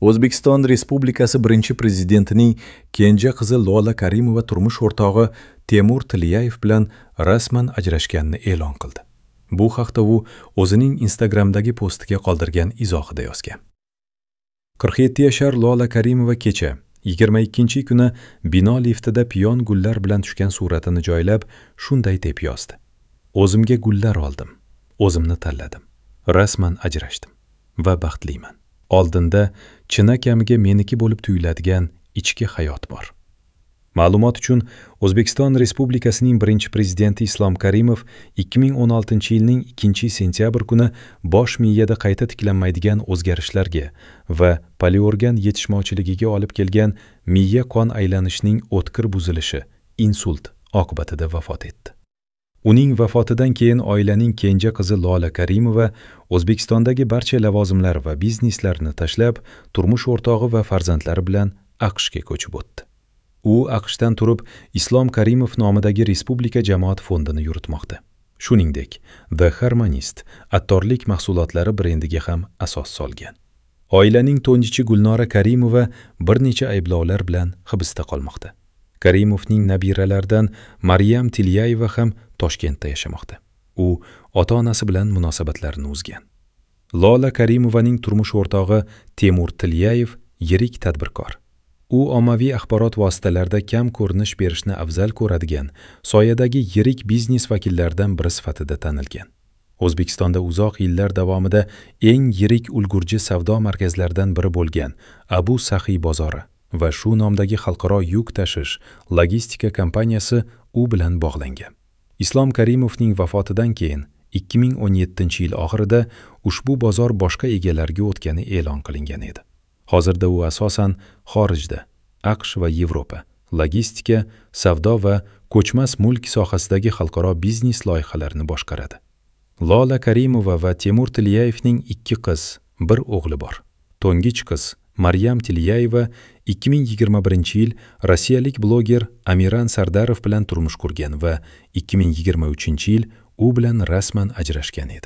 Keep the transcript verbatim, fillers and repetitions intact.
O'zbekiston Respublikasi birinchi prezidentining kenja qizi Lola Karimova turmush o'rtog'i Temur Tiliyayev bilan rasman ajrashganini e'lon qildi. Bu haqda u o'zining Instagramdagi postiga qoldirgan izohida yozgan. qirq yetti yashar Lola Karimova kecha yigirma ikkinchi kuni bino liftida piyon gullar bilan tushgan suratini joylab, shunday deb yozdi: O'zimga gullar oldim, o'zimni tanladim, rasman ajrashdim va baxtliman. Oldinda chinakamiga meniki bo'lib tuyuladigan ichki hayot bor. Ma'lumot uchun, O'zbekiston Respublikasining birinchi prezidenti Islom Karimov ikki ming o'n oltinchi yilning ikkinchi sentyabr kuni bosh miyada qayta tiklanmaydigan o'zgarishlarga va poliorgan yetishmovchiligiga olib kelgan miya qon aylanishining o'tkir buzilishi, insult oqibatida vafot etdi. Uning vafotidan keyin oilaning kenja qizi Lola Karimova O'zbekistondagi barcha lavozimlar va bizneslarni tashlab, turmush o'rtog'i va farzandlari bilan A Q Shga ko'chib o'tdi. U A Q Shdan turib Islom Karimov nomidagi Respublika jamoat fondini yuritmoqda. Shuningdek, The Harmonist attorlik mahsulotlari brendiga ham asos solgan. Oilaning to'njichi Gulnora Karimova bir necha ayblovlar bilan hibsda qolmoqda. Karimovning nabiralaridan Maryam Tilyayeva ham Toshkentda yashamoqda. U ota-onasi bilan munosabatlarini uzgan. Lola Karimovaning turmush o'rtog'i Temur Tilyayev yirik tadbirkor. U ommaviy axborot vositalarida kam ko'rinish berishni afzal ko'radigan, soyadagi yirik biznes vakillaridan biri sifatida tanilgan. O'zbekistonda uzoq yillar davomida eng yirik ulgurji savdo markazlaridan biri bo'lgan Abu Saxiy bozori va shu nomdagi xalqaro yuk tashish logistika kompaniyasi u bilan bog'langan. Islom Karimovning vafotidan keyin ikki ming o'n yettinchi yil oxirida ushbu bozor boshqa egalariga o'tgani e'lon qilingan edi. Hozirda u asosan xorijda, A Q Sh va Yevropa, logistika, savdo va ko'chmas mulk sohasidagi xalqaro biznes loyihalarini boshqaradi. Lola Karimova va Temur Tilyayevning ikki qiz, bir o'g'li bor. To'ng'ich qiz Maryam Tilyayeva ikki ming yigirma birinchi yil rossiyalik bloger Amiran Sardarov bilan turmush qurgan va ikki ming yigirma uchinchi yil u bilan rasman ajrashgan edi.